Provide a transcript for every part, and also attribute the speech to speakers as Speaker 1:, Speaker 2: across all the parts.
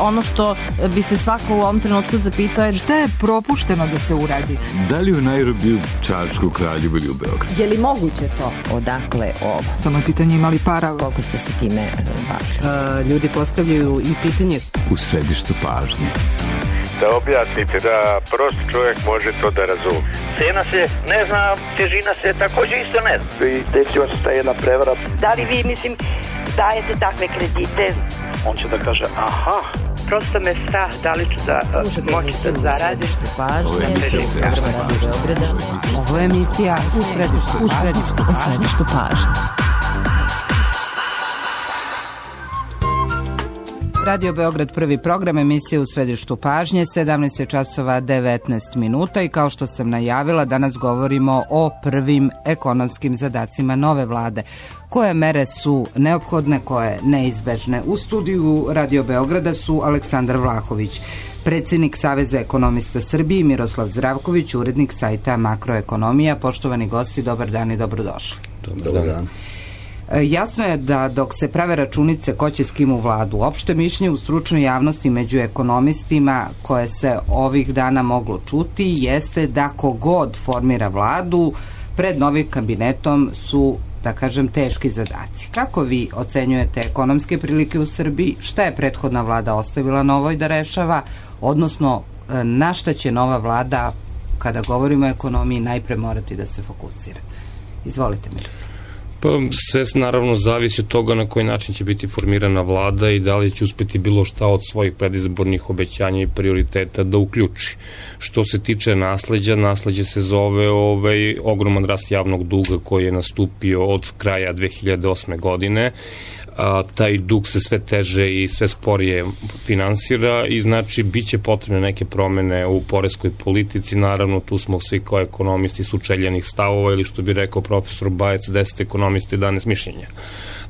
Speaker 1: ono što bi se svako u ovom trenutku zapitao je
Speaker 2: šta je propušteno da se uradi?
Speaker 3: Da li u Nairobiju, Čačku, Kraljevu ili u Beogradu?
Speaker 1: Je li moguće to?
Speaker 4: Odakle ovo?
Speaker 2: Samo je pitanje imali para.
Speaker 4: Koliko ste se time bavili?
Speaker 2: Ljudi postavljaju i pitanje.
Speaker 3: U središtu pažnje.
Speaker 5: Da objasnite, da prost čovjek može to da razumije.
Speaker 6: Cena se ne zna, težina se također isto ne zna.
Speaker 5: I desila se ta jedna prevara.
Speaker 7: Da li vi, dajete takve kredite?
Speaker 6: On će da kaže, aha.
Speaker 7: Prosto me strah, da li ću da moći da zaradim.
Speaker 2: Ovo je emisija u središtu pažnje. Radio Beograd, prvi program, emisije u središtu pažnje, 17 časova 19 minuta i kao što sam najavila, danas govorimo o prvim ekonomskim zadacima nove vlade. Koje mere su neophodne, koje neizbežne? U studiju Radio Beograda su Aleksandar Vlahović, predsjednik Saveza ekonomista Srbije, i Miroslav Zdravković, urednik sajta Makroekonomija. Poštovani gosti, dobar dan i dobrodošli.
Speaker 8: Dobar dan.
Speaker 2: Jasno je da dok se prave računice ko će s kim u vladu, opšte mišljenje u stručnoj javnosti među ekonomistima koje se ovih dana moglo čuti jeste da kogod formira vladu, pred novim kabinetom su, da kažem, teški zadaci. Kako vi ocenjujete ekonomske prilike u Srbiji? Šta je prethodna vlada ostavila novoj da rešava? Odnosno, na šta će nova vlada, kada govorimo o ekonomiji, najpre morati da se fokusira? Izvolite, Miroslav.
Speaker 8: Pa sve naravno zavisi od toga na koji način će biti formirana vlada i da li će uspeti bilo šta od svojih predizbornih obećanja i prioriteta da uključi. Što se tiče nasleđe se zove ogroman rast javnog duga koji je nastupio od kraja 2008. godine. Taj dug se sve teže i sve sporije finansira i znači bit će potrebne neke promene u poreskoj politici. Naravno, tu smo svi kao ekonomisti sučeljenih stavova ili što bi rekao profesor Bajec, 10 ekonomista i 11 mišljenja.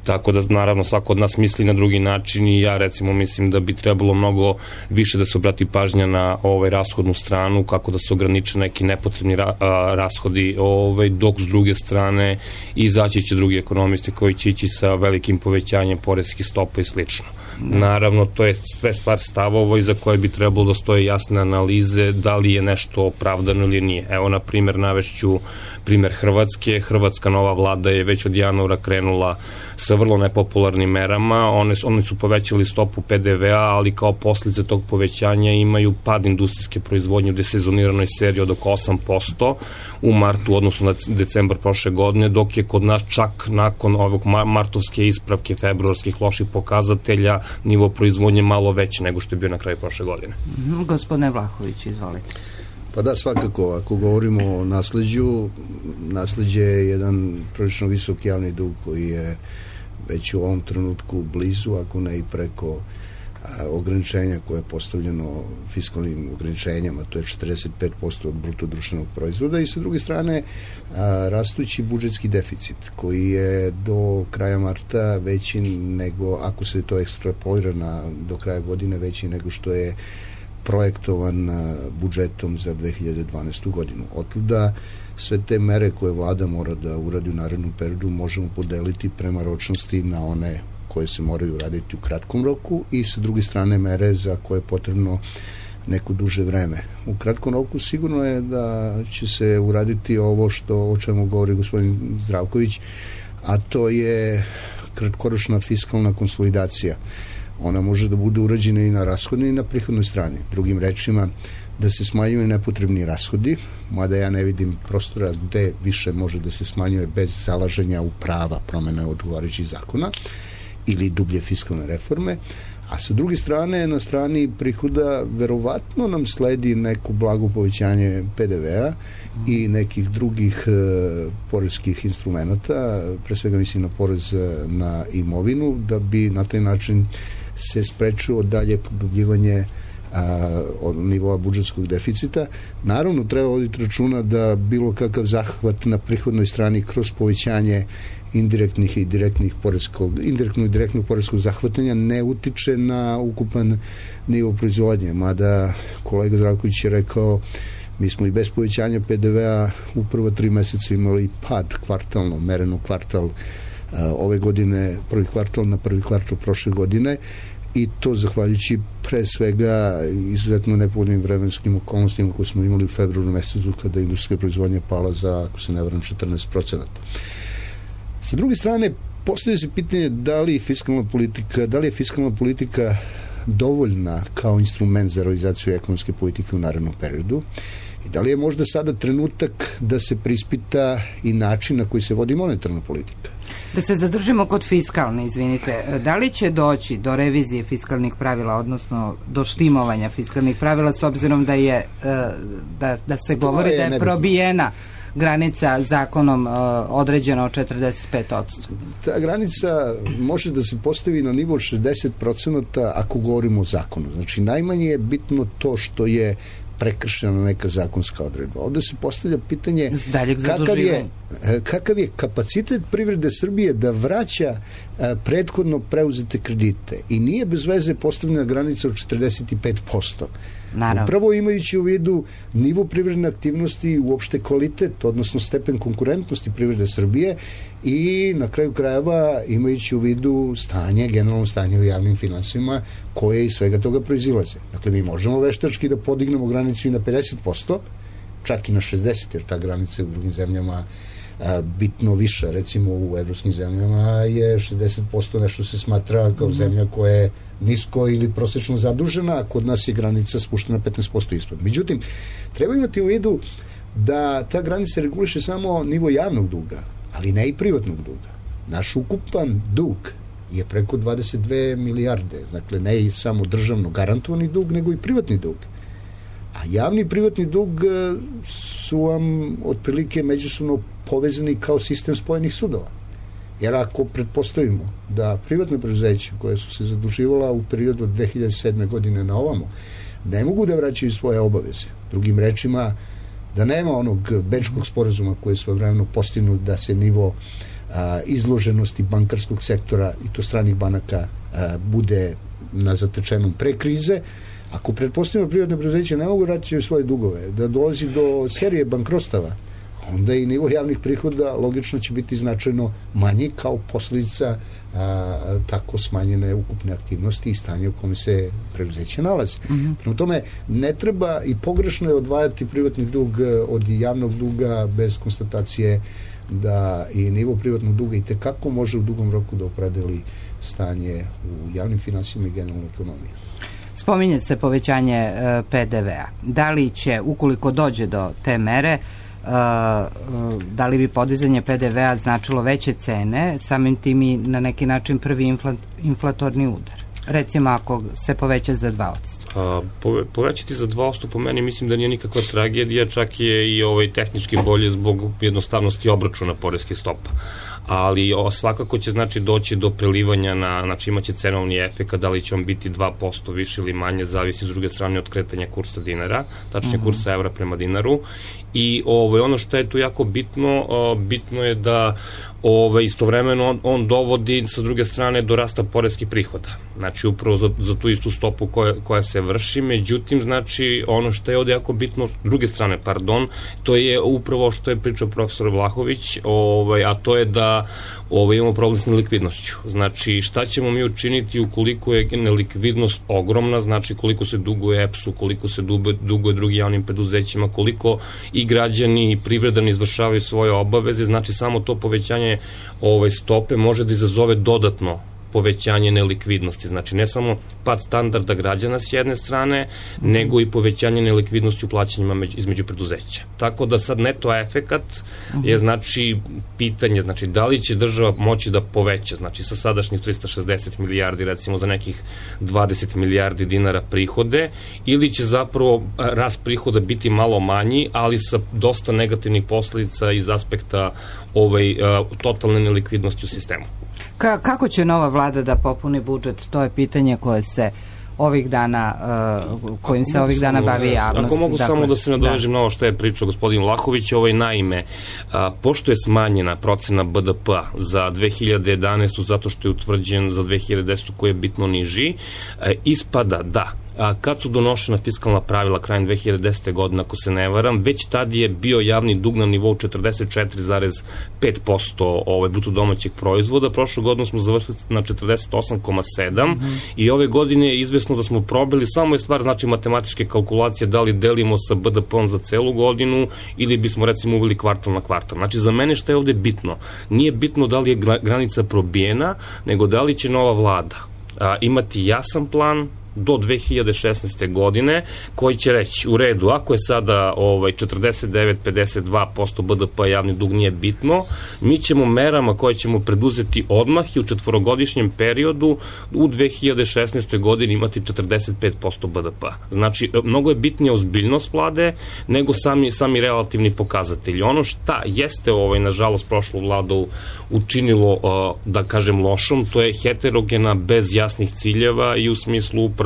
Speaker 8: Tako da, naravno, svako od nas misli na drugi način i ja, recimo, mislim da bi trebalo mnogo više da se obrati pažnja na rashodnu stranu, kako da se ograniče neki nepotrebni rashodi, dok s druge strane izaći će drugi ekonomisti koji će ići sa velikim povećanjem poreskih stopa i slično. Naravno, to je sve stvar stavova iza koje bi trebalo da stoje jasne analize da li je nešto opravdano ili nije. Evo, na primjer, navešću primjer Hrvatske. Hrvatska nova vlada je već od januara krenula sa vrlo nepopularnim merama. Oni su povećali stopu PDV-a, ali kao posljedice tog povećanja imaju pad industrijske proizvodnje u desezoniranoj seriji od oko 8% u martu, odnosno na decembar prošle godine, dok je kod nas čak nakon ovog martovske ispravke februarskih loših pokazatelja nivo proizvodnje malo veće nego što je bio na kraju prošle godine.
Speaker 2: Gospodine Vlahović, izvolite.
Speaker 9: Pa da, svakako, ako govorimo o nasleđe je jedan prilično visok javni dug koji je već u ovom trenutku blizu, ako ne i preko ograničenja koje je postavljeno fiskalnim ograničenjama, to je 45% od bruto društvenog proizvoda, i sa druge strane rastući budžetski deficit koji je do kraja marta veći nego, ako se to ekstrapolira do kraja godine, veći nego što je projektovan budžetom za 2012. godinu. Otuda sve te mere koje vlada mora da uradi u narednom periodu možemo podeliti prema ročnosti na one koje se moraju uraditi u kratkom roku i sa druge strane mere za koje je potrebno neko duže vreme. U kratkom roku sigurno je da će se uraditi ovo o čemu govori gospodin Zdravković, a to je kratkoročna fiskalna konsolidacija. Ona može da bude urađena i na rashodnoj i na prihodnoj strani. Drugim rečima, da se smanjuju nepotrebni rashodi, mada ja ne vidim prostora gde više može da se smanjuje bez zalaženja u prava promene odgovarajućih zakona ili dublje fiskalne reforme, a sa druge strane, na strani prihoda verovatno nam sledi neko blago povećanje PDV-a i nekih drugih poreskih instrumenta, pre svega mislim na porez na imovinu, da bi na taj način se sprečilo dalje produbljivanje od nivoa budžetskog deficita. Naravno, treba voditi računa da bilo kakav zahvat na prihodnoj strani kroz povećanje indirektnog i direktnog poreskog zahvatanja ne utiče na ukupan nivo proizvodnje. Mada kolega Zdravković je rekao, mi smo i bez povećanja PDV-a u prva 3 meseca imali pad kvartalno, mereno kvartal ove godine, prvi kvartal na prvi kvartal prošle godine, i to zahvaljujući pre svega izuzetno nepovoljnim vremenskim okolnostima koje smo imali u februaru mesecu kada je industrijska proizvodnja pala za, ako se ne varam, 14%. Sa druge strane, postavlja se pitanje da li je fiskalna politika dovoljna kao instrument za realizaciju ekonomske politike u narednom periodu i da li je možda sada trenutak da se preispita i način na koji se vodi monetarna politika.
Speaker 2: Da se zadržimo kod fiskalne, izvinite, da li će doći do revizije fiskalnih pravila, odnosno do štimovanja fiskalnih pravila, s obzirom da je da se govori da je probijena granica zakonom određena od 45%?
Speaker 9: Ta granica može da se postavi na nivo 60% ako govorimo o zakonu. Znači, najmanje je bitno to što je prekršena neka zakonska odredba. Ovde se postavlja pitanje kakav je kapacitet privrede Srbije da vraća prethodno preuzete kredite. I nije bez veze postavljena granica od 45%.
Speaker 2: Naravno.
Speaker 9: Upravo imajući u vidu nivo privredne aktivnosti i uopšte kvalitet, odnosno stepen konkurentnosti privrede Srbije i na kraju krajeva imajući u vidu generalno stanje u javnim finansijama koje iz svega toga proizilaze. Dakle, mi možemo veštački da podignemo granicu i na 50%, čak i na 60%, jer ta granica u drugim zemljama bitno više. Recimo u evropskim zemljama je 60% nešto se smatra kao zemlja koja je nisko ili prosečno zadužena, a kod nas je granica spuštena 15% ispod. Međutim, treba imati u vidu da ta granica reguliše samo nivo javnog duga, ali ne i privatnog duga. Naš ukupan dug je preko 22 milijarde, dakle ne i samo državno garantovani dug, nego i privatni dug. A javni i privatni dug su vam otprilike međusobno povezani kao sistem spojenih sudova. Jer ako pretpostavimo da privatne preduzeća koje su se zaduživala u periodu od 2007. godine na ovamo ne mogu da vraćaju svoje obaveze, drugim rečima da nema onog Bečkog sporazuma koji je svojevremeno postignut da se nivo izloženosti bankarskog sektora i to stranih banaka bude na zatečenom pre krize. Ako pretpostavimo privatne preduzeća ne mogu vraćati svoje dugove, da dolazi do serije bankrotstava, onda i nivo javnih prihoda logično će biti značajno manji kao posljedica tako smanjene ukupne aktivnosti i stanje u kome se preduzeće nalazi. Prema tome, ne treba i pogrešno je odvajati privatni dug od javnog duga bez konstatacije da i nivo privatnog duga i tekako može u dugom roku da opredeli stanje u javnim finansijama i generalnoj ekonomiji.
Speaker 2: Spominje se povećanje PDV-a. Da li će, ukoliko dođe do te mere, da li bi podizanje PDV-a značilo veće cene, samim tim i na neki način prvi inflatorni udar? Recimo ako se poveća za 2%.
Speaker 8: Povećati za 2% po meni mislim da nije nikakva tragedija, čak je i tehnički bolje zbog jednostavnosti obračuna poreske stopa. Ali svakako će doći do prelivanja znači imaće cenovni efekt, da li će on biti 2% više ili manje, zavisi s druge strane od kretanja kursa dinara, tačnije kursa evra prema dinaru. I ono što je tu jako bitno je da istovremeno on dovodi sa druge strane do rasta poreskih prihoda. Znači upravo za tu istu stopu koja se vrši, međutim znači ono što je ovde jako bitno, s druge strane, to je upravo što je pričao profesor Vlahović, a to je da imamo problem s nelikvidnošću. Znači šta ćemo mi učiniti ukoliko je nelikvidnost ogromna, znači koliko se duguje EPS-u, koliko se duguje drugim javnim preduzećima, koliko i građani i privreda ne izvršavaju svoje obaveze, znači samo to povećanje stope može da izazove dodatno povećanje nelikvidnosti. Znači, ne samo pad standarda građana s jedne strane, nego i povećanje nelikvidnosti u plaćanjima između preduzeća. Tako da sad neto efekat je pitanje, da li će država moći da poveća, sa sadašnjih 360 milijardi, recimo za nekih 20 milijardi dinara prihode, ili će zapravo rast prihoda biti malo manji, ali sa dosta negativnih posledica iz aspekta totalne nelikvidnosti u sistemu.
Speaker 2: Kako će nova vlada da popuni budžet? To je pitanje koje se ovih dana, kojim se ovih dana bavi javnost.
Speaker 8: Ako mogu samo da se nadovežem na ovo što je pričao gospodin Vlahović, naime, pošto je smanjena procena BDP-a za 2011. zato što je utvrđen za 2010. koji je bitno niži, ispada da kad su donošena fiskalna pravila krajem 2010. godine, ako se ne varam, već tad je bio javni dug na nivou 44,5% bruto domaćeg proizvoda. Prošle godine smo završili na 48,7% i ove godine je izvesno da smo probili, samo je stvar znači matematičke kalkulacije da li delimo sa BDP-om za celu godinu ili bismo recimo uveli kvartal na kvartal. Znači za mene šta je ovde bitno? Nije bitno da li je granica probijena, nego da li će nova vlada imati jasan plan do 2016. godine, koji će reći, u redu, ako je sada 49-52% BDP javni dug nije bitno, mi ćemo merama koje ćemo preduzeti odmah i u četvorogodišnjem periodu u 2016. godini imati 45% BDP. Znači, mnogo je bitnija ozbiljnost vlade nego sami relativni pokazatelji. Ono šta jeste nažalost prošlu vladu učinilo, da kažem, lošom, to je heterogena bez jasnih ciljeva i u smislu upravo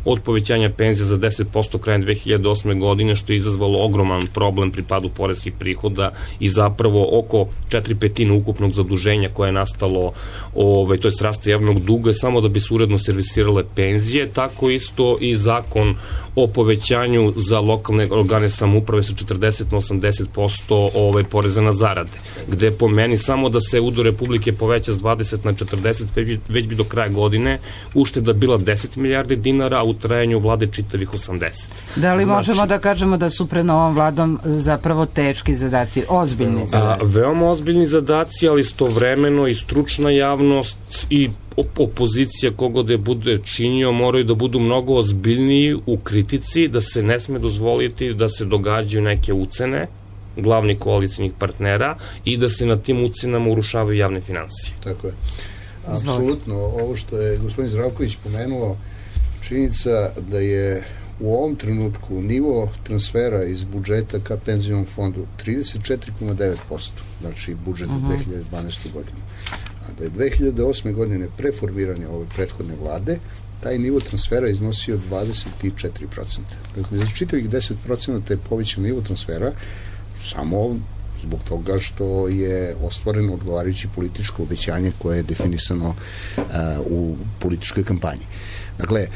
Speaker 8: od povećanja penzija za 10% krajem 2008. godine, što je izazvalo ogroman problem pri padu poreskih prihoda i zapravo oko 4/5 ukupnog zaduženja koje je nastalo, to je rasta javnog duga, samo da bi se uredno servisirale penzije. Tako isto i zakon o povećanju za lokalne organe samouprave sa 40 na 80% poreza na zarade, gde po meni samo da se udeo Republike poveća s 20 na 40, već bi do kraja godine ušteda bila 10 milijardi dinara, a u trajanju vlade čitavih 80.
Speaker 2: Da li možemo da kažemo da su pred novom vladom zapravo teški zadaci, ozbiljni zadaci?
Speaker 8: Veoma ozbiljni zadaci, ali istovremeno i stručna javnost i opozicija, kogo da je bude činio, moraju da budu mnogo ozbiljniji u kritici, da se ne sme dozvoliti da se događaju neke ucene glavnih koalicijnih partnera i da se na tim ucenama urušavaju javne finansije.
Speaker 9: Tako je. Apsolutno, ovo što je gospodin Zdravković pomenuo, činjenica da je u ovom trenutku nivo transfera iz budžeta ka penzionom fondu 34,9%, znači budžet za 2012. godinu. A da je 2008. godine preformiranje ove prethodne vlade, taj nivo transfera iznosio 24%. Dakle, za čitavih 10% je povećan nivo transfera samo zbog toga što je ostvareno odgovarajuće političko obećanje koje je definisano u političkoj kampanji. Dakle,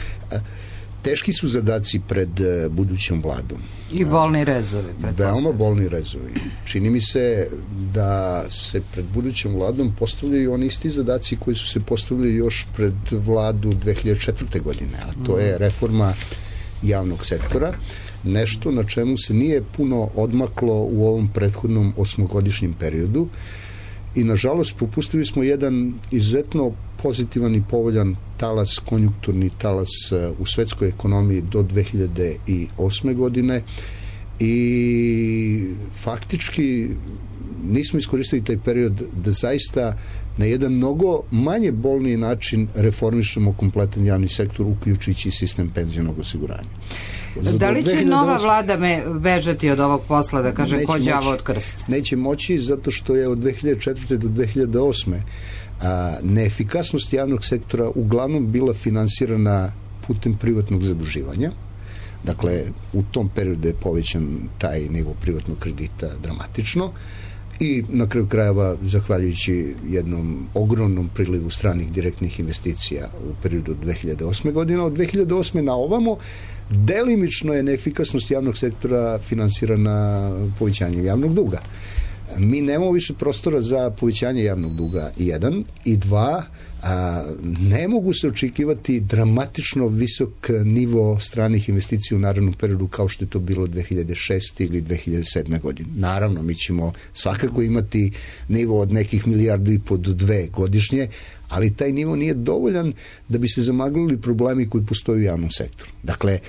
Speaker 9: teški su zadaci pred budućom vladom.
Speaker 2: I bolni rezovi.
Speaker 9: Veoma bolni rezovi. Čini mi se da se pred budućom vladom postavljaju oni isti zadaci koji su se postavili još pred vladu 2004. godine, a to je reforma javnog sektora, nešto na čemu se nije puno odmaklo u ovom prethodnom 8-godišnjem periodu i nažalost propustili smo jedan izuzetno pozitivan i povoljan talas, konjunkturni talas u svetskoj ekonomiji do 2008. godine i faktički nismo iskoristili taj period da zaista na jedan mnogo manje bolniji način reformišemo kompletan javni sektor, uključujući sistem penzionog osiguranja.
Speaker 2: Da li će nova vlada bežati od ovog posla, da kaže ko đavo od krsta?
Speaker 9: Neće moći, zato što je od 2004. do 2008. Neefikasnost javnog sektora uglavnom bila finansirana putem privatnog zaduživanja. Dakle, u tom periodu je povećan taj nivo privatnog kredita dramatično i na kraju krajeva, zahvaljujući jednom ogromnom prilivu stranih direktnih investicija u periodu 2008. godine, od 2008. na ovamo delimično je neefikasnost javnog sektora finansirana povećanjem javnog duga. Mi nemamo više prostora za povećanje javnog duga, 1, i 2, ne mogu se očekivati dramatično visok nivo stranih investicija u narednom periodu kao što je to bilo 2006. ili 2007. godine. Naravno, mi ćemo svakako imati nivo od nekih 1,5 milijardi do 2 godišnje, ali taj nivo nije dovoljan da bi se zamaglili problemi koji postoje u javnom sektoru. Dakle,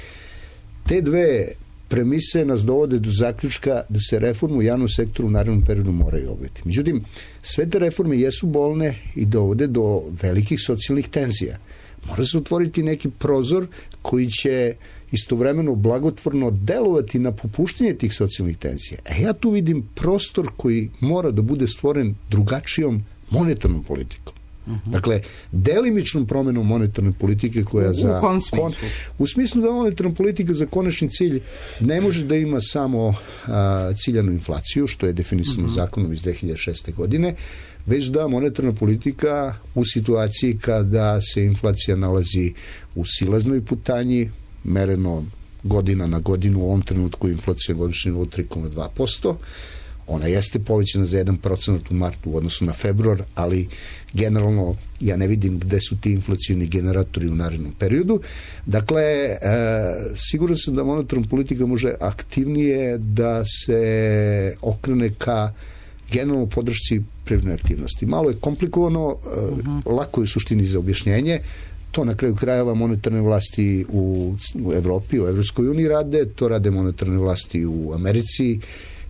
Speaker 9: te dve premise nas dovode do zaključka da se reformu u javnom sektoru u narednom periodu moraju obaviti. Međutim, sve te reforme jesu bolne i dovode do velikih socijalnih tenzija. Mora se otvoriti neki prozor koji će istovremeno blagotvorno delovati na popuštanje tih socijalnih tenzija. Ja tu vidim prostor koji mora da bude stvoren drugačijom monetarnom politikom. Dakle, delimičnom promenom monetarne politike koja za...
Speaker 2: U kom smislu?
Speaker 9: U smislu da monetarna politika za konačni cilj ne može da ima samo ciljanu inflaciju, što je definisano zakonom iz 2006. godine, već da monetarna politika u situaciji kada se inflacija nalazi u silaznoj putanji, mereno godina na godinu, u ovom trenutku inflacija godišnje nivou 3,2%. Ona jeste povećana za 1% u martu u odnosu na februar, ali generalno ja ne vidim gde su ti inflacijni generatori u narednom periodu. Dakle, siguran sam da monetarna politika može aktivnije da se okrene ka generalno podršci privredne aktivnosti. Malo je komplikovano, lako je u suštini za objašnjenje. To na kraju krajeva monetarne vlasti u Evropi, u Evropskoj uniji rade, to rade monetarne vlasti u Americi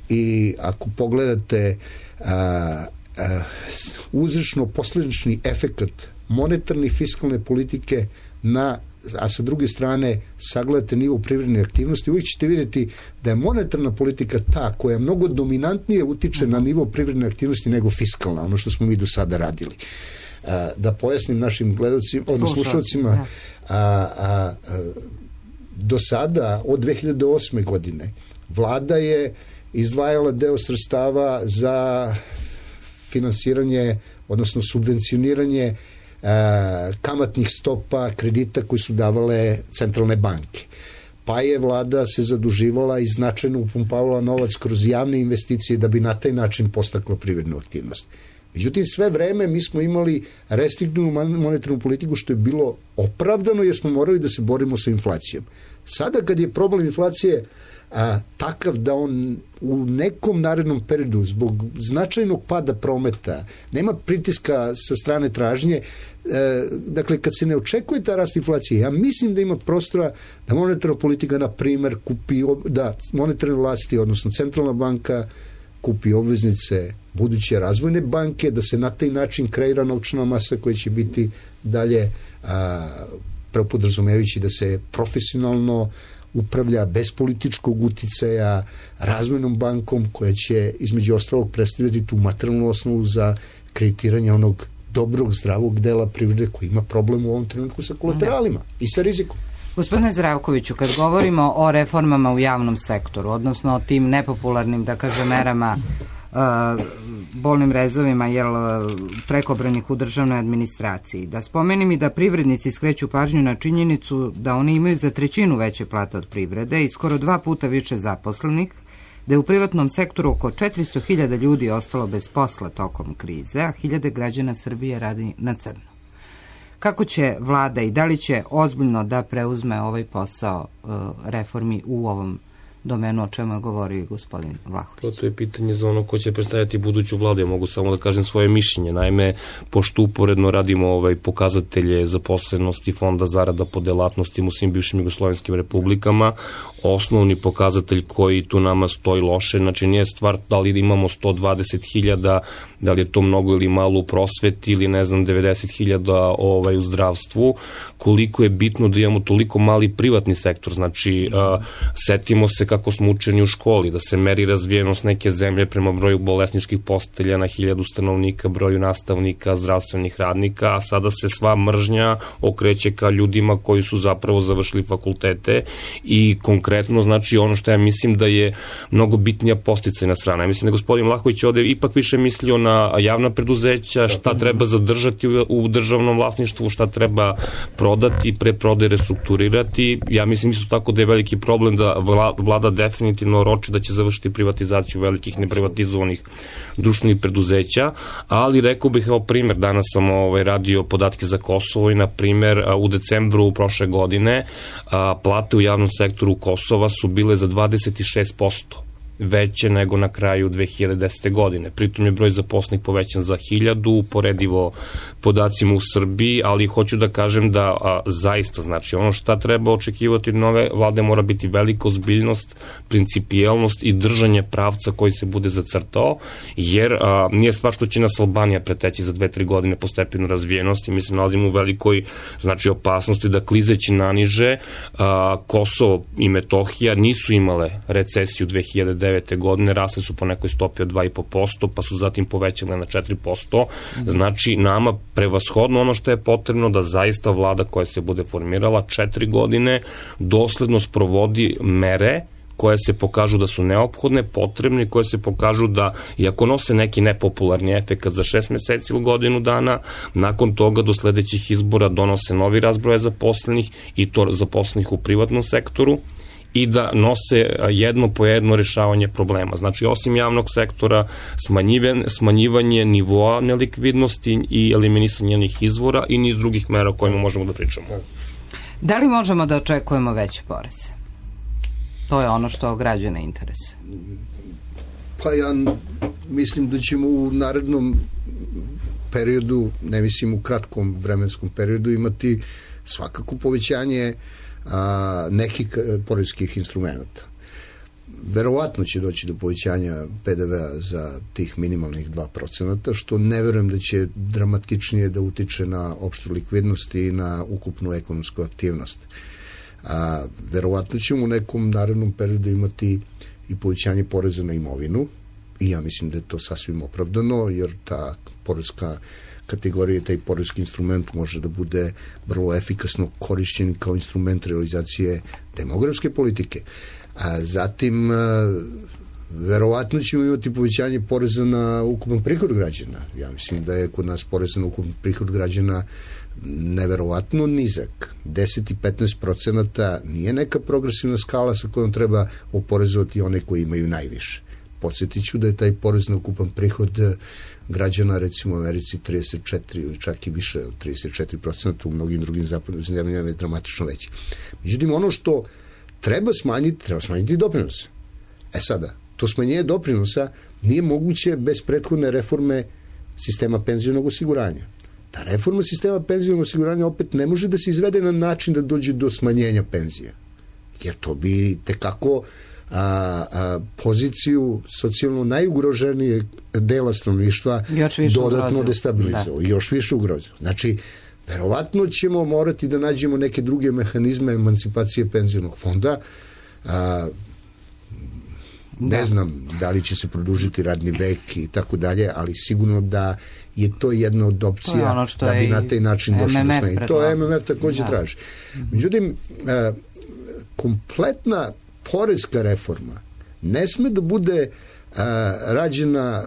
Speaker 9: i ako pogledate uzročno-posledični efekat monetarne i fiskalne politike a sa druge strane sagledate nivo privredne aktivnosti, uvijek ćete vidjeti da je monetarna politika ta koja mnogo dominantnije utiče na nivo privredne aktivnosti nego fiskalna, ono što smo mi do sada radili. Da pojasnim našim gledalcima, slušalcima, do sada, od 2008. godine, vlada je izdvajala deo sredstava za finansiranje, odnosno subvencioniranje kamatnih stopa kredita koji su davale centralne banke. Pa je vlada se zaduživala i značajno upumpavala novac kroz javne investicije da bi na taj način postakla privrednu aktivnost. Međutim, sve vreme mi smo imali restriktivnu monetarnu politiku, što je bilo opravdano jer smo morali da se borimo sa inflacijom. Sada kad je problem inflacije takav da on u nekom narednom periodu zbog značajnog pada prometa nema pritiska sa strane tražnje, dakle kad se ne očekuje ta rast inflacije, ja mislim da ima prostora da monetarna politika na primer kupi, da monetarne vlasti, odnosno centralna banka kupi obveznice buduće razvojne banke, da se na taj način kreira novčana masa koja će biti dalje prepodrazumevajući da se profesionalno upravlja bez političkog uticaja razvojnom bankom koja će između ostalog predstavljati tu materijalnu osnovu za kreditiranje onog dobrog, zdravog dela privrede koji ima problem u ovom trenutku sa kolateralima i sa rizikom.
Speaker 2: Gospodine Zdravkoviću, kad govorimo o reformama u javnom sektoru, odnosno o tim nepopularnim, da kažem, merama, bolnim rezovima prekobranih u državnoj administraciji, da spomenim i da privrednici skreću pažnju na činjenicu da oni imaju za 1/3 veće plate od privrede i skoro 2 puta više zaposlenih, da je u privatnom sektoru oko 400.000 ljudi ostalo bez posla tokom krize, a hiljade građana Srbije radi na crno. Kako će vlada i da li će ozbiljno da preuzme ovaj posao reformi u ovom domenu, o čemu je govorio gospodin Vlahović?
Speaker 8: To je pitanje za ono ko će predstavljati buduću vladu. Ja mogu samo da kažem svoje mišljenje. Naime, pošto uporedno radimo pokazatelje zaposlenosti fonda zarada po delatnostima u svim bivšim jugoslovenskim republikama, osnovni pokazatelj koji tu nama stoji loše, znači nije stvar da li imamo 120.000, da li je to mnogo ili malo u prosveti ili 90.000 u zdravstvu, koliko je bitno da imamo toliko mali privatni sektor. Znači, setimo se kako smo učeni u školi, da se meri razvijenost neke zemlje prema broju bolesničkih postelja na 1000 stanovnika, broju nastavnika, zdravstvenih radnika, a sada se sva mržnja okreće ka ljudima koji su zapravo završili fakultete i konkretno, znači ono što ja mislim da je mnogo bitnija podsticajna strana. Ja mislim da gospodin Vlahović ovde ipak više mislio na javna preduzeća, šta treba zadržati u državnom vlasništvu, šta treba prodati, preprodaje, restrukturirati. Ja mislim isto tako da je veliki problem da vlada definitivno roči da će završiti privatizaciju velikih neprivatizovanih društvenih preduzeća, ali rekao bih, evo primer, danas sam radio podatke za Kosovo i na primer u decembru prošle godine plate u javnom sektoru Kosova su bile za 26% veće nego na kraju 2010. godine. Pritom je broj zaposlenih povećan za 1000, uporedivo podacima u Srbiji, ali hoću da kažem da zaista, znači, ono šta treba očekivati od nove vlade mora biti velika ozbiljnost, principijelnost i držanje pravca koji se bude zacrtao, jer nije stvar što će nas Albanija preteći za 2-3 godine po stepenu razvijenosti. Mi se nalazimo u velikoj, znači, opasnosti da klizeći naniže. Kosovo i Metohija nisu imale recesiju 2009. godine, rasle su po nekoj stopi od 2,5%, pa su zatim povećale na 4%. Znači, nama prevashodno ono što je potrebno da zaista vlada koja se bude formirala 4 godine dosledno sprovodi mere koje se pokažu da su neophodne, potrebne, koje se pokažu da, iako nose neki nepopularni efekat za 6 meseci ili godinu dana, nakon toga do sledećih izbora donose novi razbroj zaposlenih i to zaposlenih u privatnom sektoru i da nose jedno po jedno rešavanje problema. Znači, osim javnog sektora, smanjivanje nivoa nelikvidnosti i eliminisanje njenih izvora i niz drugih mera o kojima možemo da pričamo.
Speaker 2: Da li možemo da očekujemo veće poreze? To je ono što građane interese.
Speaker 9: Pa ja mislim da ćemo u narednom periodu, ne mislim u kratkom vremenskom periodu, imati svakako povećanje nekih poreskih instrumenta. Verovatno će doći do povećanja PDV-a za tih minimalnih 2%, što ne verujem da će dramatičnije da utiče na opštu likvidnost i na ukupnu ekonomsku aktivnost. Verovatno ćemo u nekom narednom periodu imati i povećanje poreza na imovinu i ja mislim da je to sasvim opravdano, jer ta poreska kategorija, taj poreski instrument može da bude vrlo efikasno korišćen kao instrument realizacije demografske politike. Zatim, verovatno ćemo imati povećanje poreza na ukupan prihod građana. Ja mislim da je kod nas porez na ukupan prihod građana neverovatno nizak. 10 i 15% nije neka progresivna skala sa kojom treba oporezovati one koji imaju najviše. Podsjetit ću da je taj porez na ukupan prihod građana, recimo u Americi 34 ili čak i više od 34%, u mnogim drugim zapadnim zemljama je dramatično veći. Međutim, ono što treba smanjiti doprinose. Sada, to smanjenje doprinosa nije moguće bez prethodne reforme sistema penzionog osiguranja. Ta reforma sistema penzionog osiguranja opet ne može da se izvede na način da dođe do smanjenja penzija. Jer to bi tekako poziciju socijalno najugroženijeg dela stanovništva dodatno destabilizovao i još više ugrozio. Znači, verovatno ćemo morati da nađemo neke druge mehanizme emancipacije penzionog fonda. Ne znam da li će se produžiti radni vek i tako dalje, ali sigurno da je to jedna od opcija da bi na taj način došli do smanjenja. To MMF takođe traži. Međutim, kompletna poreska reforma ne sme da bude rađena,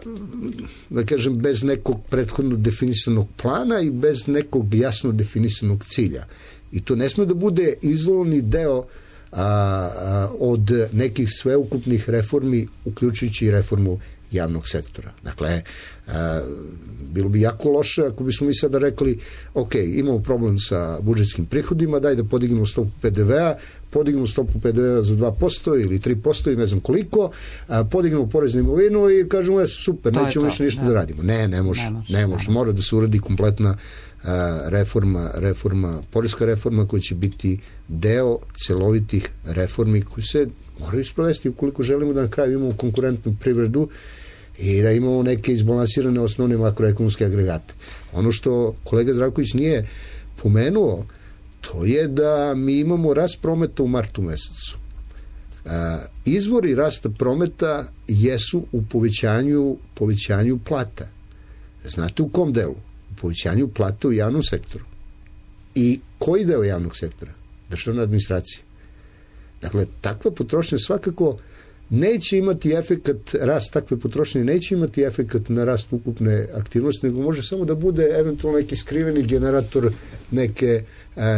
Speaker 9: da kažem, bez nekog prethodno definisanog plana i bez nekog jasno definisanog cilja. I to ne sme da bude izolovani deo od nekih sveukupnih reformi, uključujući i reformu javnog sektora. Dakle, bilo bi jako loše ako bismo mi sada rekli, ok, imamo problem sa budžetskim prihodima, daj da podignemo stopu PDV-a, podignemo stopu PDV-a za 2% ili 3% i ne znam koliko, podignemo porez na imovinu i kažemo, super, nećemo više ništa da radimo. Ne može. Mora da se uradi kompletna poreska reforma koja će biti deo celovitih reformi koji se moraju sprovesti ukoliko želimo da na kraju imamo konkurentnu privredu i da imamo neke izbalansirane osnovne makroekonomske agregate. Ono što kolega Zdravković nije pomenuo, to je da mi imamo rast prometa u martu mesecu. Izvori rasta prometa jesu u povećanju plata. Znate u kom delu? U povećanju plata u javnom sektoru. I koji deo javnog sektora? Državna administracija. Dakle, takva potrošnja svakako neće imati efekat, rast takve potrošnje neće imati efekat na rast ukupne aktivnosti, nego može samo da bude eventualno neki skriveni generator neke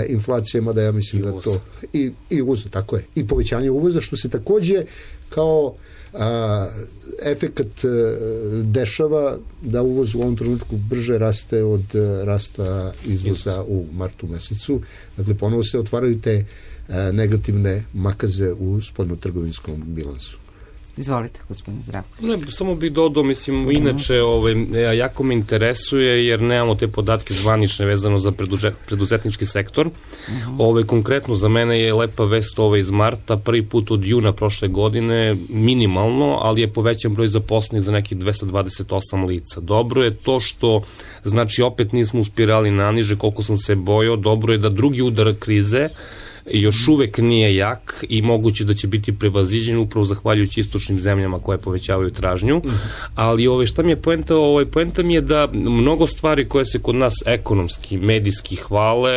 Speaker 9: inflacije, mada ja mislim da to i uvoza, tako je, i povećanje uvoza, što se takođe kao efekat dešava da uvoz u ovom trenutku brže raste od rasta izvoza u martu mesecu. Dakle, ponovo se otvaraju te negativne makaze u spoljnotrgovinskom bilansu.
Speaker 2: Izvolite, gospodine Zdravko.
Speaker 8: Ne, samo bih dodao, mislim, inače jako me interesuje jer nemamo te podatke zvanične vezano za preduzetnički sektor. Konkretno za mene je lepa vest iz marta, prvi put od juna prošle godine, minimalno, ali je povećan broj zaposlenih za nekih 228 lica. Dobro je to što, znači, opet nismo uspirali naniže koliko sam se bojao, dobro je da drugi udar krize još uvek nije jak i moguće da će biti prevaziđen upravo zahvaljujući istočnim zemljama koje povećavaju tražnju, ali šta mi je poenta? Poenta mi je da mnogo stvari koje se kod nas ekonomski, medijski hvale,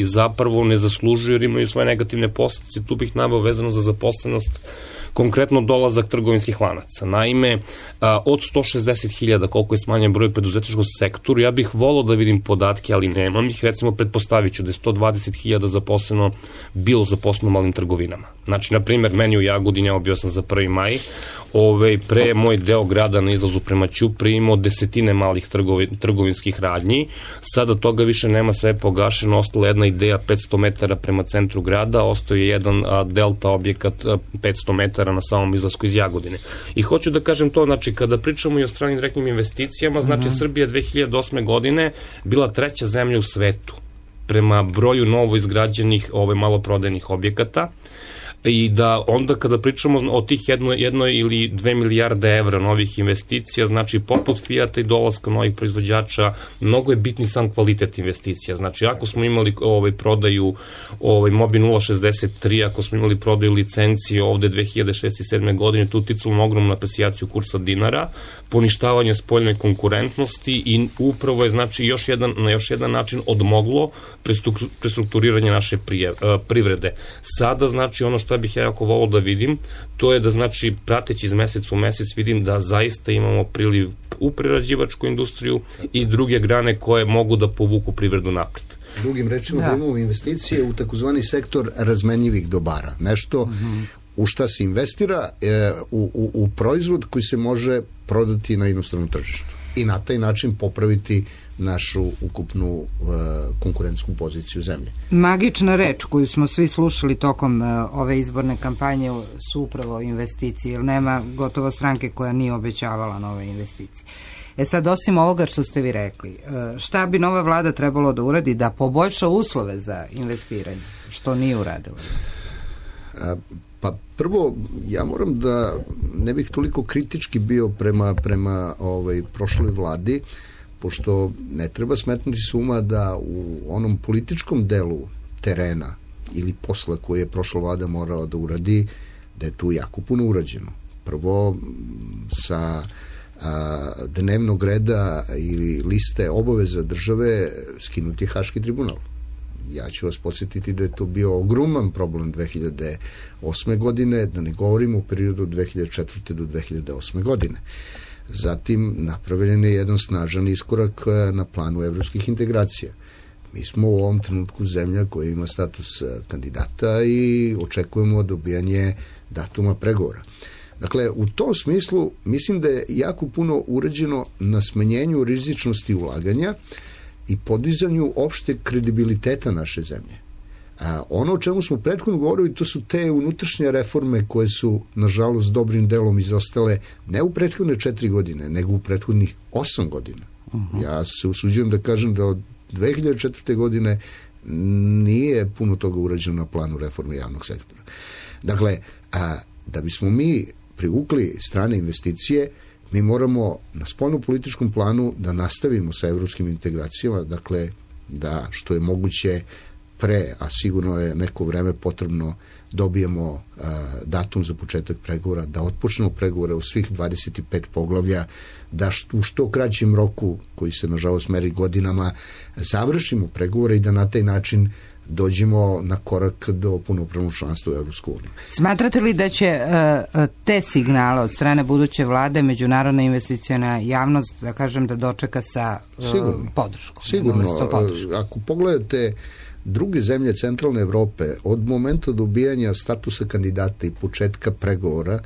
Speaker 8: zapravo ne zaslužuju jer imaju svoje negativne posljedice. Tu bih naveo vezano za zaposlenost, konkretno dolazak trgovinskih lanaca. Naime, od 160.000 koliko je smanjen broj preduzetničkog sektoru, ja bih volao da vidim podatke, ali nemam ih. Recimo, pretpostavit ću da je 120.000 bilo zaposleno u malim trgovinama. Znači, na primjer, meni u Jagodini, ja bio sam za 1. maj, pre moj deo grada na izlazu prema Ćupri imao desetine malih trgovinskih radnji. Sada toga više nema, sve je pogašeno, ostala jedna ideja 500 metara prema centru grada, ostao je jedan delta objekat 500 metara na samom izlasku iz Jagodine. I hoću da kažem to, znači, kada pričamo i o stranim direktnim investicijama, znači, Srbija 2008. godine bila 3. zemlja u svetu prema broju novo izgrađenih maloprodajnih objekata, i da onda kada pričamo o tih 1 ili 2 milijarde evra novih investicija, znači poput Fijata i dolaska novih proizvođača, mnogo je bitni sam kvalitet investicija. Znači, ako smo imali prodaju Mobi 063, ako smo imali prodaju licencije ovde 2006. i 2007. godine, tu ticalo na ogromnu apreciaciju kursa dinara, poništavanje spoljnoj konkurentnosti i upravo je, znači, na još jedan način odmoglo prestrukturiranje naše privrede. Sada, znači, ono što bih ja jako volao da vidim, to je da, znači, prateći iz meseca u mesec vidim da zaista imamo priliv u prerađivačku industriju i druge grane koje mogu da povuku privredu napred.
Speaker 9: Drugim rečima, da imamo investicije u takozvani sektor razmenjivih dobara. Nešto u šta se investira, u proizvod koji se može prodati na inostranom tržištu i na taj način popraviti našu ukupnu konkurentsku poziciju zemlje.
Speaker 2: Magična reč koju smo svi slušali tokom ove izborne kampanje su upravo investicije, jer nema gotovo stranke koja nije obećavala nove investicije. Sad, osim ovoga što ste vi rekli, šta bi nova vlada trebalo da uradi da poboljša uslove za investiranje, što nije uradila?
Speaker 9: Pa prvo, ja moram da ne bih toliko kritički bio prema prošloj vladi, pošto ne treba smetnuti s uma da u onom političkom delu terena ili posla koje je prošla vlada morala da uradi, da je tu jako puno urađeno. Prvo, sa dnevnog reda ili liste obaveza države skinuti Haški tribunal. Ja ću vas podsjetiti da je to bio ogroman problem 2008. godine, da ne govorimo o periodu 2004. do 2008. godine. Zatim napravljen je jedan snažan iskorak na planu evropskih integracija. Mi smo u ovom trenutku zemlja koja ima status kandidata i očekujemo dobijanje datuma pregovora. Dakle, u tom smislu mislim da je jako puno urađeno na smanjenju rizičnosti ulaganja i podizanju opšte kredibiliteta naše zemlje. Ono o čemu smo prethodno govorili, to su te unutrašnje reforme koje su, nažalost, dobrim delom izostale ne u prethodne 4 godine, nego u prethodnih 8 godina. Ja se usuđujem da kažem da od 2004. godine nije puno toga urađeno na planu reforme javnog sektora. Dakle, da bismo mi privukli strane investicije, mi moramo na spoljno-političkom planu da nastavimo sa evropskim integracijama, dakle, da što je moguće pre, a sigurno je neko vreme potrebno, dobijemo datum za početak pregovora, da otpočnemo pregovore u svih 25 poglavlja, da u što kraćem roku, koji se nažalost meri godinama, završimo pregovore i da na taj način dođemo na korak do punopravnog članstva u Evropsku uniju.
Speaker 2: Smatrate li da će te signale od strane buduće vlade međunarodna investiciona javnost, da kažem, da dočeka sa podrškom?
Speaker 9: Sigurno. Ako pogledate druge zemlje centralne Evrope, od momenta dobijanja statusa kandidata i početka pregovora,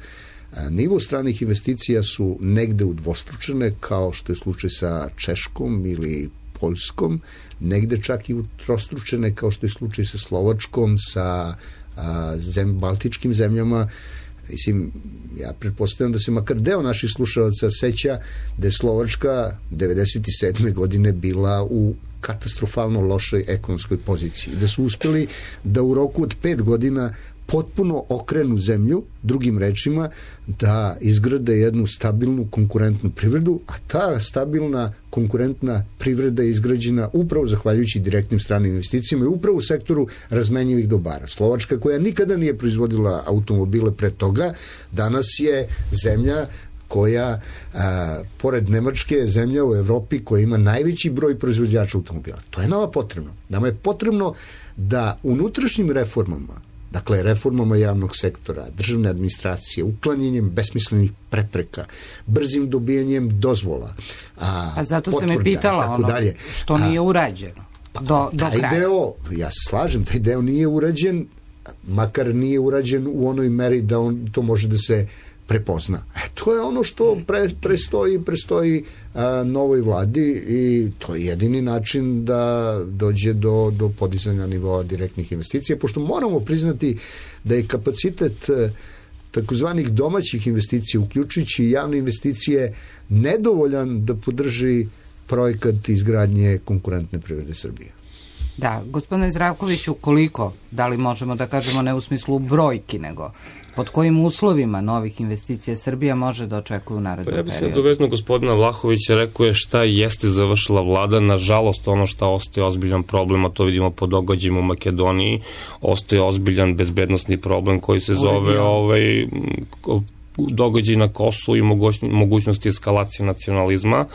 Speaker 9: nivo stranih investicija su negde udvostručene, kao što je slučaj sa Češkom ili Poljskom, negde čak i utrostručene, kao što je slučaj sa Slovačkom, sa baltičkim zemljama. Mislim, ja pretpostavljam da se makar deo naših slušalaca seća da je Slovačka 97. godine bila u katastrofalno lošoj ekonomskoj poziciji, da su uspeli da u roku od 5 godina potpuno okrenu zemlju, drugim rečima, da izgrade jednu stabilnu konkurentnu privredu, a ta stabilna konkurentna privreda je izgrađena upravo zahvaljujući direktnim stranim investicijama i upravo u sektoru razmenjivih dobara. Slovačka, koja nikada nije proizvodila automobile pre toga, danas je zemlja koja, pored Nemačke, je zemlja u Evropi koja ima najveći broj proizvođača automobila. To je nama potrebno. Nama je potrebno da unutrašnjim reformama, dakle, reformama javnog sektora, državne administracije, uklanjanjem besmislenih prepreka, brzim dobijanjem dozvola,
Speaker 2: a zato
Speaker 9: potvrda,
Speaker 2: se me pitala
Speaker 9: tako dalje.
Speaker 2: Što nije urađeno do kraja.
Speaker 9: Deo, ja se slažem, taj deo nije urađen, makar nije urađen u onoj meri da on to može da se prepozna. To je ono što prestoji novoj vladi i to je jedini način da dođe do podizanja nivoa direktnih investicija, pošto moramo priznati da je kapacitet takozvanih domaćih investicija, uključujući javne investicije, nedovoljan da podrži projekat izgradnje konkurentne privrede Srbije.
Speaker 2: Da, gospodine Zdravkoviću, koliko, da li možemo da kažemo ne u smislu brojki, nego pod kojim uslovima novih investicija Srbija može da očekuje u narednom periodu?
Speaker 8: Ja bih se dovezno gospodina Vlahovića, rekao je šta jeste završila vlada. Nažalost, ono šta ostaje ozbiljan problem, a to vidimo po događajima u Makedoniji, ostaje ozbiljan bezbednosni problem koji se zove događaj na Kosovu i mogućnosti eskalacije nacionalizma,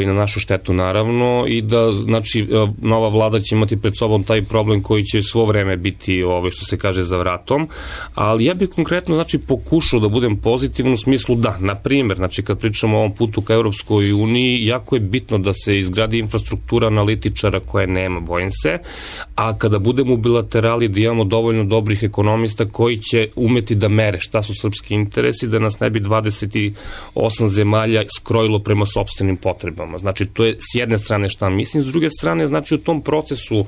Speaker 8: na našu štetu naravno, i da, znači, nova vlada će imati pred sobom taj problem koji će svo vreme biti, što se kaže, za vratom, ali ja bih konkretno, znači, pokušao da budem pozitivan u smislu da, na primjer, znači, kad pričamo o ovom putu ka Europskoj uniji, jako je bitno da se izgradi infrastruktura analitičara koje nema, bojim se, a kada budemo u bilaterali da imamo dovoljno dobrih ekonomista koji će umeti da mere šta su srpski interesi, da nas ne bi 28 zemalja skrojilo prema sopstvenim potrebama. Znači, to je s jedne strane šta mislim, s druge strane, znači, u tom procesu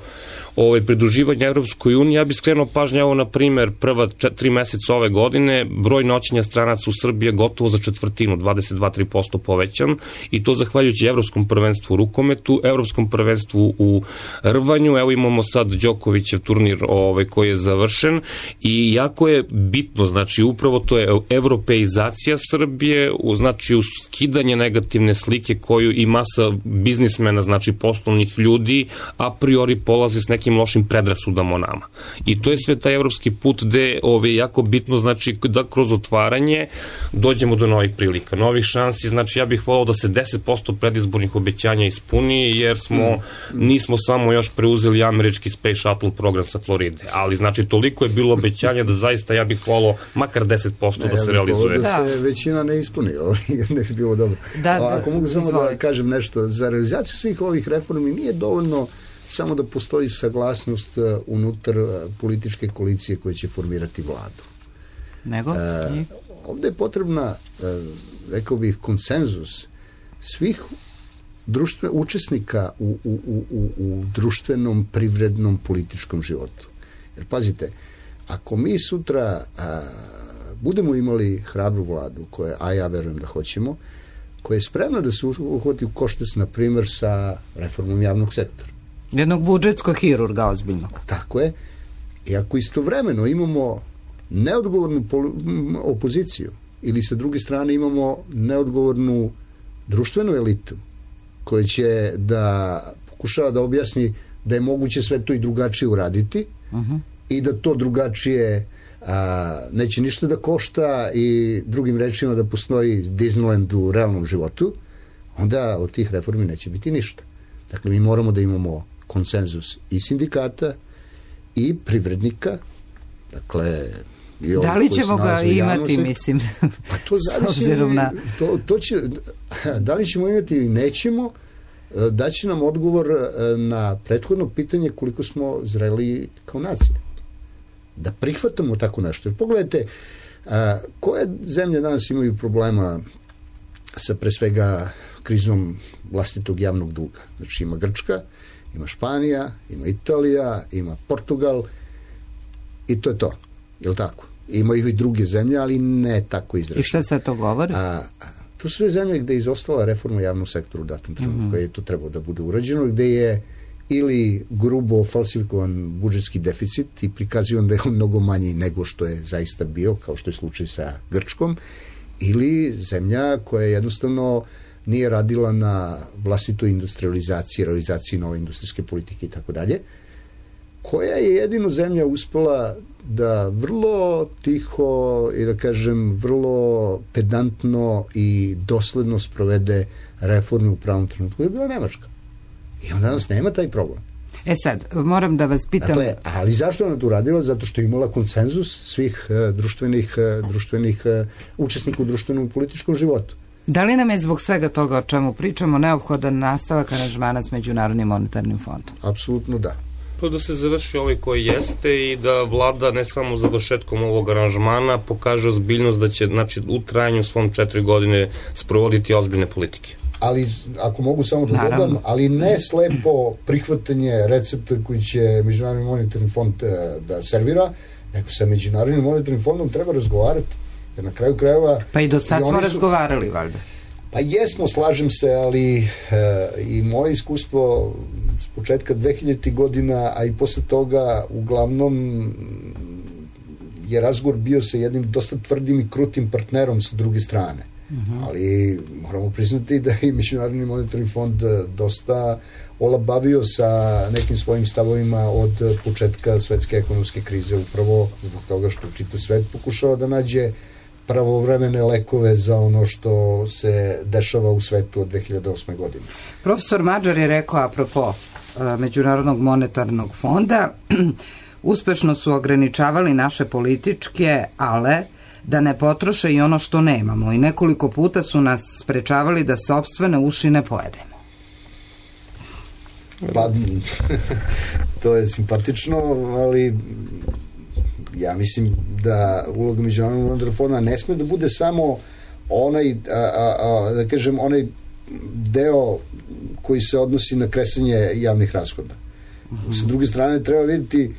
Speaker 8: pridruživanja Evropskoj uniji, ja bih skrenuo pažnju, na primjer, prva 3 meseca ove godine, broj noćenja stranaca u Srbiji je gotovo za četvrtinu, 22-3% povećan, i to zahvaljujući Evropskom prvenstvu u rukometu, Evropskom prvenstvu u rvanju, evo imamo sad Đokovićev turnir koji je završen, i jako je bitno, znači, upravo to je evropeizacija Srbije, znači, skidanje negativne slike koju i masa biznismena, znači poslovnih ljudi, a priori polazi s nekim lošim predrasudama o nama. I to je sve taj evropski put gde je jako bitno, znači, da kroz otvaranje dođemo do novih prilika, novih šansi. Znači, ja bih volao da se 10% predizbornih obećanja ispuni, jer nismo samo još preuzeli američki Space Shuttle program sa Floride, ali, znači, toliko je bilo obećanja da zaista ja bih volao makar 10% da se realizuje.
Speaker 9: Da se većina ne ispuni, ne bi bilo dobro. Ako mogu samo da kažem nešto, za realizaciju svih ovih reformi nije dovoljno samo da postoji saglasnost unutar političke koalicije koje će formirati vladu.
Speaker 2: Nego?
Speaker 9: Ovde je potrebna, rekao bih, konsenzus svih učesnika u društvenom, privrednom, političkom životu. Jer pazite, ako mi sutra budemo imali hrabru vladu, a ja verujem da hoćemo, koja je spremna da se uhvati u koštac, na primjer, sa reformom javnog sektora.
Speaker 2: Jednog budžetskog hirurga ozbiljnog.
Speaker 9: Tako je. I ako istovremeno imamo neodgovornu opoziciju ili sa druge strane imamo neodgovornu društvenu elitu koja će da pokušava da objasni da je moguće sve to i drugačije uraditi i da to drugačije neće ništa da košta i drugim rečima da postoji Disneyland u realnom životu, onda od tih reformi neće biti ništa. Dakle, mi moramo da imamo konsenzus i sindikata i privrednika, dakle,
Speaker 2: da li ćemo ga imati, mislim,
Speaker 9: pa to zavisi, da li ćemo imati ili nećemo, daće nam odgovor na prethodno pitanje koliko smo zreli kao nacija da prihvatamo tako nešto. Jer pogledajte, koje zemlje danas imaju problema sa pre svega krizom vlastitog javnog duga? Znači, ima Grčka, ima Španija, ima Italija, ima Portugal i to je to. Je li tako? Imaju i druge zemlje, ali ne tako izraženo.
Speaker 2: I šta se to govori?
Speaker 9: To su sve zemlje gde je izostala reforma javnog sektora u datom trenutku, kada je to trebalo da bude urađeno, gde je ili grubo falsifikovan budžetski deficit i prikazivan da je on mnogo manji nego što je zaista bio, kao što je slučaj sa Grčkom, ili zemlja koja jednostavno nije radila na vlastitoj industrializaciji, realizaciji nove industrijske politike i tako dalje, koja je jedino zemlja uspela da vrlo tiho i da kažem vrlo pedantno i dosledno sprovede reforme u pravom trenutku, je bila Nemačka. I on danas nema taj problem.
Speaker 2: Sad, moram da vas pitam...
Speaker 9: Dakle, ali zašto ona to uradila? Zato što je imala konsenzus svih društvenih učesnika u društvenom i političkom životu.
Speaker 2: Da li nam je zbog svega toga o čemu pričamo neophodan nastavak aranžmana s Međunarodnim monetarnim fondom?
Speaker 9: Apsolutno da.
Speaker 8: Da se završi ovaj koji jeste i da vlada ne samo završetkom ovog aranžmana pokaže ozbiljnost da će, znači, u trajanju svom 4 godine sprovoditi ozbiljne politike.
Speaker 9: Ali, ako mogu samo da dodam, ali ne slepo prihvatanje recepta koji će Međunarodni monetarni fond da servira, nego sa Međunarodnim monetarnim fondom treba razgovarati. Jer na kraju krajeva...
Speaker 2: Pa i do sad smo razgovarali, valjda.
Speaker 9: Pa jesmo, slažem se, ali i moje iskustvo s početka 2000. godina, a i posle toga uglavnom je razgovor bio sa jednim dosta tvrdim i krutim partnerom sa druge strane. Ali moramo priznati da je Međunarodni monetarni fond dosta olabavio sa nekim svojim stavovima od početka svetske ekonomske krize, upravo zbog toga što čitav svet pokušava da nađe pravovremene lekove za ono što se dešava u svetu od 2008. godine.
Speaker 2: Profesor Mađar je rekao apropo Međunarodnog monetarnog fonda, uspešno su ograničavali naše političke, ale da ne potroše i ono što nemamo i nekoliko puta su nas sprečavali da sopstvene ušine pojedemo.
Speaker 9: Pa, to je simpatično, ali ja mislim da uloga Međunarodnog monetarnog fonda ne sme da bude samo onaj, da kažem, onaj deo koji se odnosi na kresanje javnih rashoda. Sa druge strane treba vidjeti,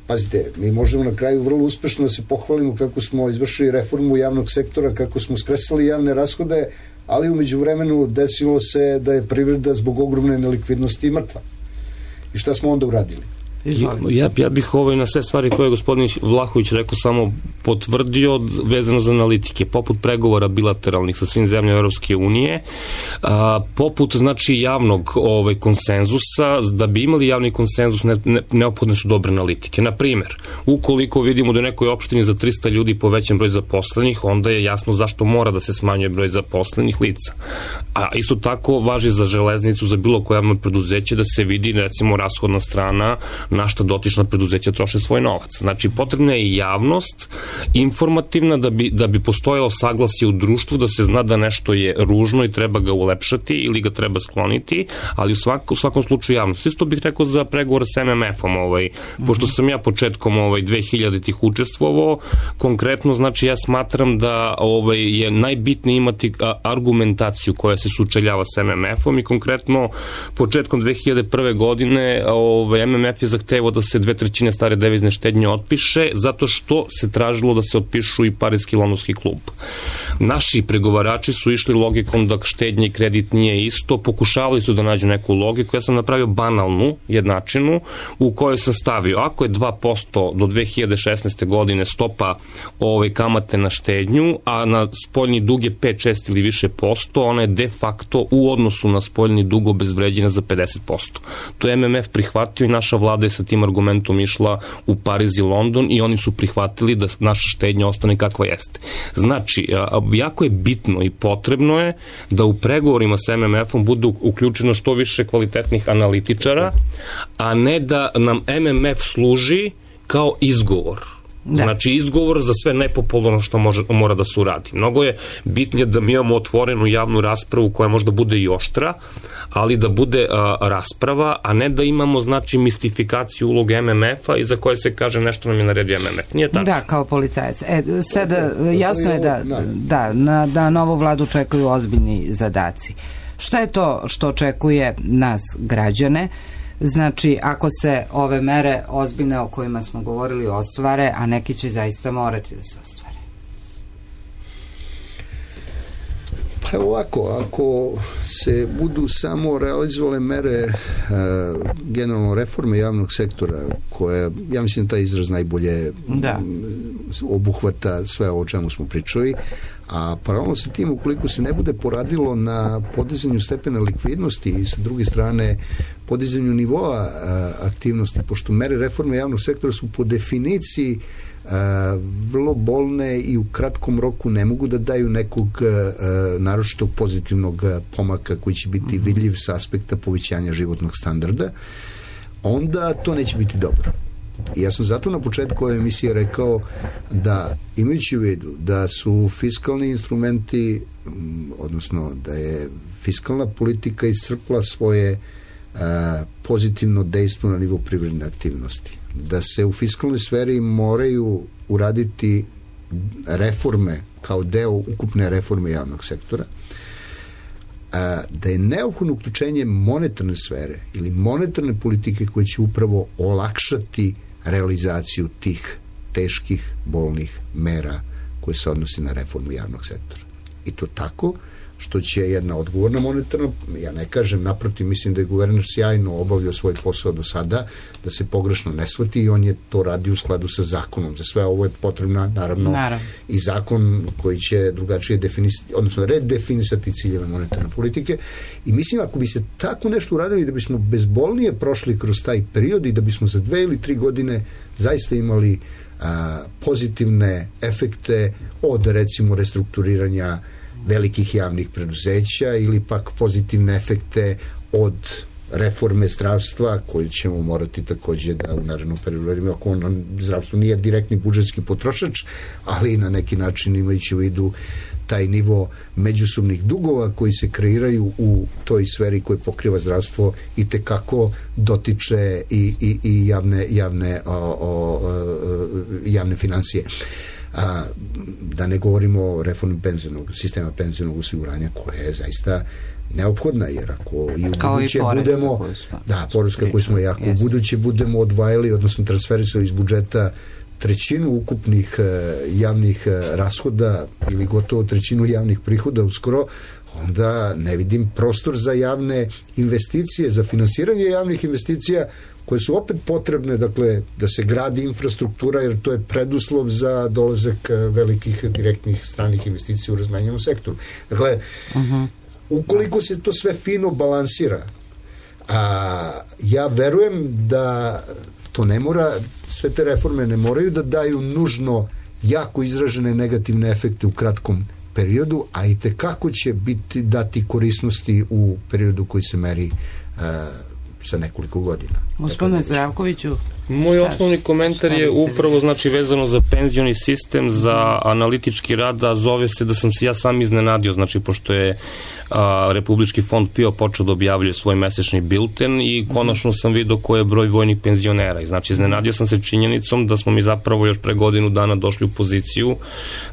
Speaker 9: pazite, mi možemo na kraju vrlo uspešno da se pohvalimo kako smo izvršili reformu javnog sektora, kako smo skresali javne rashode, ali umeđu vremenu desilo se da je privreda zbog ogromne nelikvidnosti mrtva. I šta smo onda uradili?
Speaker 8: Ja bih na sve stvari koje je gospodin Vlahović rekao samo potvrdio vezano za analitike, poput pregovora bilateralnih sa svim zemljama Europske unije, poput znači javnog konsenzusa. Da bi imali javni konsenzus neophodne su dobre analitike. Na primer, ukoliko vidimo da u nekoj opštini za 300 ljudi povećan broj zaposlenih, onda je jasno zašto mora da se smanjuje broj zaposlenih lica. A isto tako važi za železnicu, za bilo koje javno preduzeće, da se vidi recimo rashodna strana na šta dotična preduzeća troše svoj novac. Znači, potrebna je i javnost informativna da bi postojalo saglasje u društvu, da se zna da nešto je ružno i treba ga ulepšati ili ga treba skloniti, ali u svakom slučaju javnost. Isto bih rekao za pregovor sa MMF-om, pošto sam ja početkom 2000-ih učestvovao, konkretno, znači, ja smatram da je najbitnije imati argumentaciju koja se sučeljava sa MMF-om i konkretno početkom 2001. godine MMF je zahtevao da se 2/3 stare devizne štednje otpiše, zato što se tražilo da se otpišu i Pariski i Londonski klub. Naši pregovarači su išli logikom da štednje i kredit nije isto, pokušavali su da nađu neku logiku, ja sam napravio banalnu jednačinu u kojoj sam stavio, ako je 2% do 2016. godine stopa kamate na štednju, a na spoljni dug je 5, 6 ili više posto, ona je de facto u odnosu na spoljni dug obezvređena za 50%. To je MMF prihvatio i naša vlada je sa tim argumentom išla u Pariz i London i oni su prihvatili da naša štednja ostane kakva jeste. Znači, jako je bitno i potrebno je da u pregovorima sa MMF-om bude uključeno što više kvalitetnih analitičara, a ne da nam MMF služi kao izgovor. Znači, izgovor za sve nepopularno što mora da se uradi. Mnogo je bitnije da mi imamo otvorenu javnu raspravu koja možda bude i oštra, ali da bude rasprava, a ne da imamo, znači, mistifikaciju uloge MMF-a i za koje se kaže nešto nam je naredio MMF. Nije tako?
Speaker 2: Da, kao policajac. Sad, jasno je da novu vladu čekaju ozbiljni zadaci. Šta je to što očekuje nas, građane? Znači, ako se ove mere ozbiljne o kojima smo govorili ostvare, a neki će zaista morati da se ostvare.
Speaker 9: Pa ovako, ako se budu samo realizovale mere generalno reforme javnog sektora, koje, ja mislim da taj izraz najbolje obuhvata sve o čemu smo pričali, a paralelno sa tim, ukoliko se ne bude poradilo na podizanju stepena likvidnosti i sa druge strane podizanju nivoa aktivnosti, pošto mere reforme javnog sektora su po definiciji vrlo bolne i u kratkom roku ne mogu da daju nekog naročitog pozitivnog pomaka koji će biti vidljiv sa aspekta povećanja životnog standarda, onda to neće biti dobro. I ja sam zato na početku ove emisije rekao da, imajući u vidu da su fiskalni instrumenti, odnosno da je fiskalna politika iscrpla svoje pozitivno dejstvo na nivo privredne aktivnosti, da se u fiskalnoj sferi moraju uraditi reforme kao deo ukupne reforme javnog sektora, da je neophodno uključenje monetarne sfere ili monetarne politike koje će upravo olakšati realizaciju tih teških, bolnih mera koje se odnosi na reformu javnog sektora. I to tako što će jedna odgovorna monetarna, ja ne kažem, naprotiv, mislim da je guverner sjajno obavljao svoj posao do sada, da se pogrešno ne shvati, i on je to radi u skladu sa zakonom. Za sve ovo je potrebna, naravno, i zakon koji će drugačije definisati, odnosno redefinisati ciljeve monetarne politike. I mislim, ako bi se tako nešto uradili, da bismo bezbolnije prošli kroz taj period i da bismo za 2 ili 3 godine zaista imali pozitivne efekte od, recimo, restrukturiranja velikih javnih preduzeća ili pak pozitivne efekte od reforme zdravstva koju ćemo morati takođe da u narednom periodu, ako zdravstvo nije direktni budžetski potrošač, ali na neki način imajući u vidu taj nivo međusobnih dugova koji se kreiraju u toj sferi koje pokriva zdravstvo i tekako dotiče i javne financije. Da ne govorimo o reformi sistema penzionog osiguranja koja je zaista neophodna, jer ako i u buduće budemo poreska koju smo, ako u buduće budemo odvajali, odnosno transferisali iz budžeta 1/3 ukupnih javnih rashoda ili gotovo 1/3 javnih prihoda uskoro, onda ne vidim prostor za javne investicije, za finansiranje javnih investicija koje su opet potrebne, dakle, da se gradi infrastruktura, jer to je preduslov za dolazak velikih direktnih stranih investicija u razmenjenom sektoru. Dakle, ukoliko se to sve fino balansira, ja verujem da to ne mora, sve te reforme ne moraju da daju nužno jako izražene negativne efekte u kratkom periodu, a i tekako će dati korisnosti u periodu koji se meri sa nekoliko godina.
Speaker 2: Gospodine Zdravkoviću,
Speaker 8: moj osnovni komentar je upravo, znači, vezano za penzioni sistem, za analitički rad, a zove se da sam se ja sam iznenadio, znači, pošto je Republički fond PIO počeo da objavljuje svoj mesečni bilten i konačno sam vidio koji je broj vojnih penzionera. I znači, iznenadio sam se činjenicom da smo mi zapravo još pre godinu dana došli u poziciju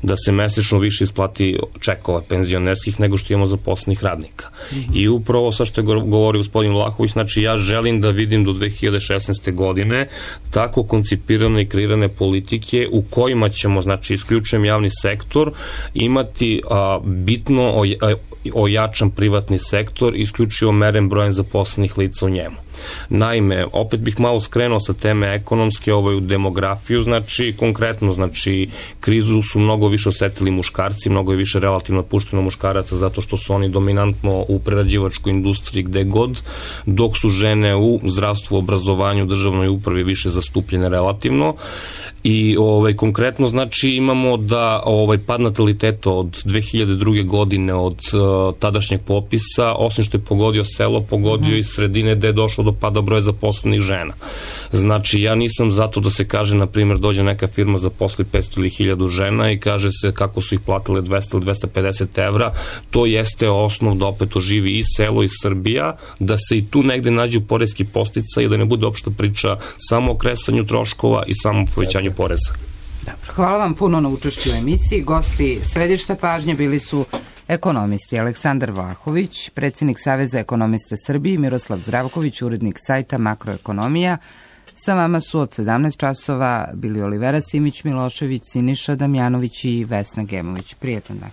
Speaker 8: da se mesečno više isplati čekova penzionerskih nego što imamo zaposlenih radnika. I upravo sa što je govorio gospodin Vlahović, znači, ja želim da vidim do 2016. godine tako koncipirane i kreirane politike u kojima ćemo, znači, isključujem javni sektor, imati bitno ojačan privatni sektor, isključivo meren brojem zaposlenih lica u njemu. Naime, opet bih malo skrenuo sa teme ekonomske, u demografiju, znači, konkretno, znači, krizu su mnogo više osetili muškarci, mnogo je više relativno otpušteno muškaraca zato što su oni dominantno u prerađivačkoj industriji gde god, dok su žene u zdravstvu, obrazovanju, državnoj upravi više zastupljene relativno. I konkretno, znači, imamo da pad nataliteta od 2002. godine od tadašnjeg popisa, osim što je pogodio selo, pogodio i sredine gde je došlo do pada broja zaposlenih žena. Znači, ja nisam zato da se kaže, na primjer, dođe neka firma zaposli 500 ili 1000 žena i kaže se kako su ih platile 200 ili 250 evra, to jeste osnov da opet oživi i selo i Srbija, da se i tu negde nađu poreski posticaj i da ne bude opšta priča samo o kresanju troškova i samo povećanju poreza.
Speaker 2: Dobro, hvala vam puno na učešću u emisiji. Gosti središta pažnje bili su ekonomisti Aleksandar Vlahović, predsjednik Saveza ekonomista Srbije, i Miroslav Zdravković, urednik sajta Makroekonomija. Sa vama su od 17 časova bili Olivera Simić Milošević, Siniša Damjanović i Vesna Gemović. Prijetan dan.